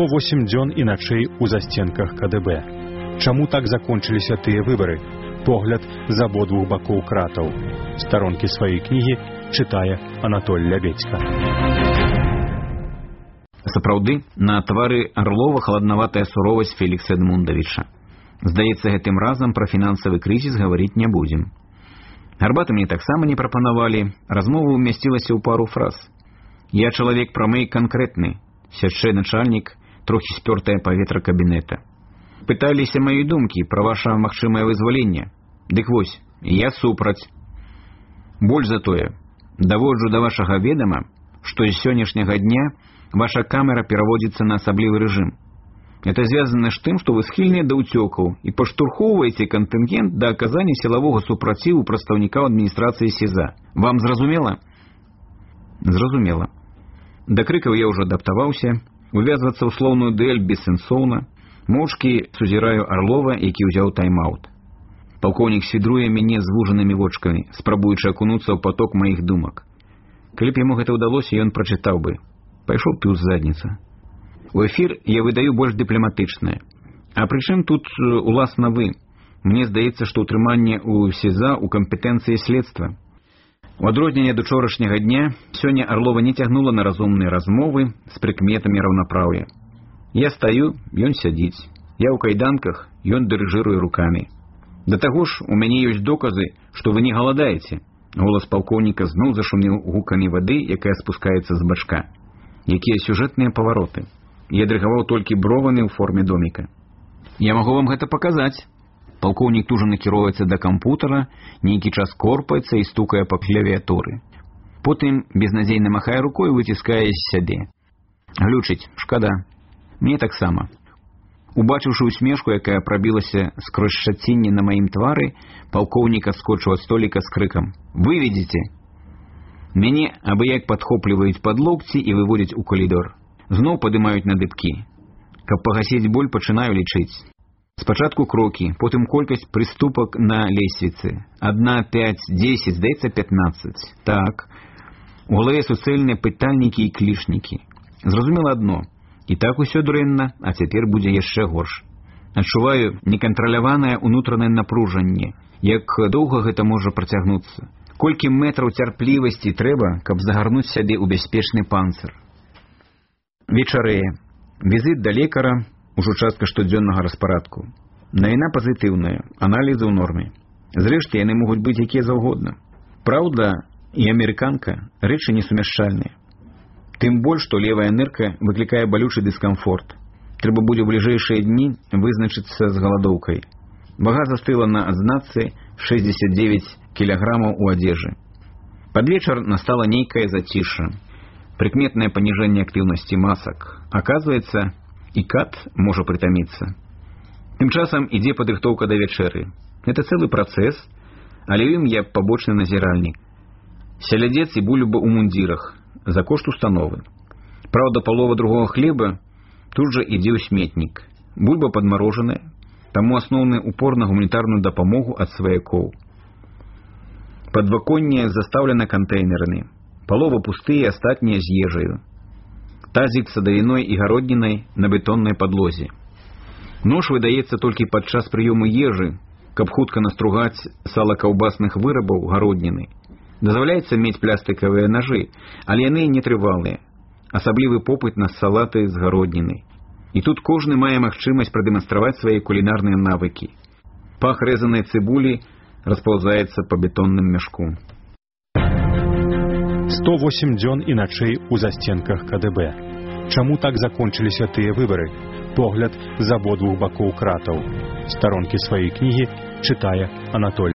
108 дзён і начэй у засценках КДБ. Чаму так закончыліся тыя выбары? Погляд з абодвух бакоў кратаў. Старонкі сваёй кнігі чытае Анатоль Лябедзька. Сапраўды, на твары Арлова халаднаватая суровасць Фелікса Эдмундавіча. Здаецца, гэтым разам пра фінансавы крызіс гаварыць не будзем. Гарбаты мне таксама не прапанавалі, размова умясцілася ў пару фраз. Я чалавек прамы і канкрэтны, сячэ начальнік, трохі спёртае паветра кабінета. Пыталіся маёй думкі пра ваша магчымае вызваленне. Дык вось, я супраць. Больш за тое, даводжу да вашага ведама, што з сённяшняга дня ваша камера пераводзіцца на асаблівы рэжым. Это звязана з тым, што вы схільныя да ўцёкаў і паштурхоўваеце кантынгент да аказання сілавога супраціву прадстаўнікаў адміністрацыі СІЗА. Вам зразумела? Зразумела. Да крыкаў я ўжо адаптаваўся, увязвацца ў слоўную дуэль бессэнсоўна. Моўчкі сузіраю Арлова, які ўзяў тайм-аут. Палкоўнік свідруе мяне звужанымі вочкамі, спрабуючы акунуцца ў поток маіх думак. Калі б яму гэта ўдалося, ён прачытаў бы: «Пайшоў ты ў задніца». У эфір я выдаю больш дыпламатычнае. А прычым тут уласна вы? Мне здаецца, што ўтрыманне ў СІЗА ў кампетэнцыі следства. У адрозненне ад учорашняга дня, сёння Арлова не цягнула на разумныя размовы з прыкметамі раўнапраўя. Я стаю, ён сядзіць. Я ў кайданках, ён дырыжыруе рукамі. Да таго ж, у мяне ёсць доказы, што вы не галадаеце. Голас палкоўніка зноў зашумеў гукамі вады, якая спускаецца з бачка. Якія сюжэтныя павароты. Я дрыгаваў толькі бровамі ў форме доміка. Я магу вам гэта паказаць. Палкоўнік тужа накіроўваецца да кампутара, нейкі час корпаецца і стукае па клавіатуры. Потым безнадзейна махае рукой і выціскае з сябе. Глючыць, шкада. Мне таксама. Убачыўшы усмешку, якая прабілася скрозь шчацінне на маім твары, палкоўнік адскочыў ад століка з крыкам: «Выведзіце!» Мяне абы-як падхопліваюць пад локці і выводзяць у калідор. Зноў падымаюць на дыбкі. Каб пагасіць боль, пачынаю лічыць. Спачатку крокі, потым колькасць прыступак на лесвіцы. 1, 5, 10, здаецца 15. Так. У галаве суцэльныя пытальнікі і клішнікі. Зразумела адно. І так усё дрэнна, а цяпер будзе яшчэ горш. Адчуваю некантраляванае ўнутранае напружанне. Як доўга гэта можа працягнуцца? Колькі метраў цярплівасці трэба, каб загарнуць сябе ў бяспечны панцыр? Вечарэе. Візіт да лекара, ужо частка штодзённага распарадку. Навіна пазітыўная, аналізы ў норме. Зрэшты, яны могуць быць якія заўгодна. Праўда і амерыканка — рэчы несумяшчальныя. Тым больш, што левая нырка выклікае балючы дыскамфорт. Трэба будзе ў бліжэйшыя дні вызначыцца з галадоўкай. Вага застыла на адзнацы 69 кілаграмаў у адзежы. Пад вечар настала нейкае зацішша. Прыкметнае паніжэнне актыўнасці масак. Аказваецца, і кат можа прытаміцца. Тым часам ідзе падрыхтоўка да вячэры. Гэта цэлы працэс, але ім я пабочны назіральнік. Сялядзец і бульба ў мундзірах за кошт установы. Праўда, палова другого хлеба тут жа ідзе ў сметнік. Бульба падмарожаная, таму асноўны упор на гуманітарную дапамогу ад сваякоў. Падваконне застаўлена кантэйнерамі. Палова пустыя, астатнія з ежаю. Тазік з садавіной і гароднінай на бетоннай падлозе. Нож выдаецца толькі падчас прыёму ежы, каб хутка настругаць сала каўбасных вырабаў гародніны. Дазваляецца мець пластыкавыя нажы, але яны нетрывалыя. Асаблівы попыт на салаты з гароднінай. І тут кожны мае магчымасць прадэманстраваць свае кулінарныя навыкі. Пах рэзанай цыбулі распаўзаецца па бетонным мяшку. 108 дзён і начэй у засценках КДБ. Чаму так закончыліся тыя выбары? Погляд з абодвух бакоў кратаў. Старонкі сваёй кнігі чытае Анатоль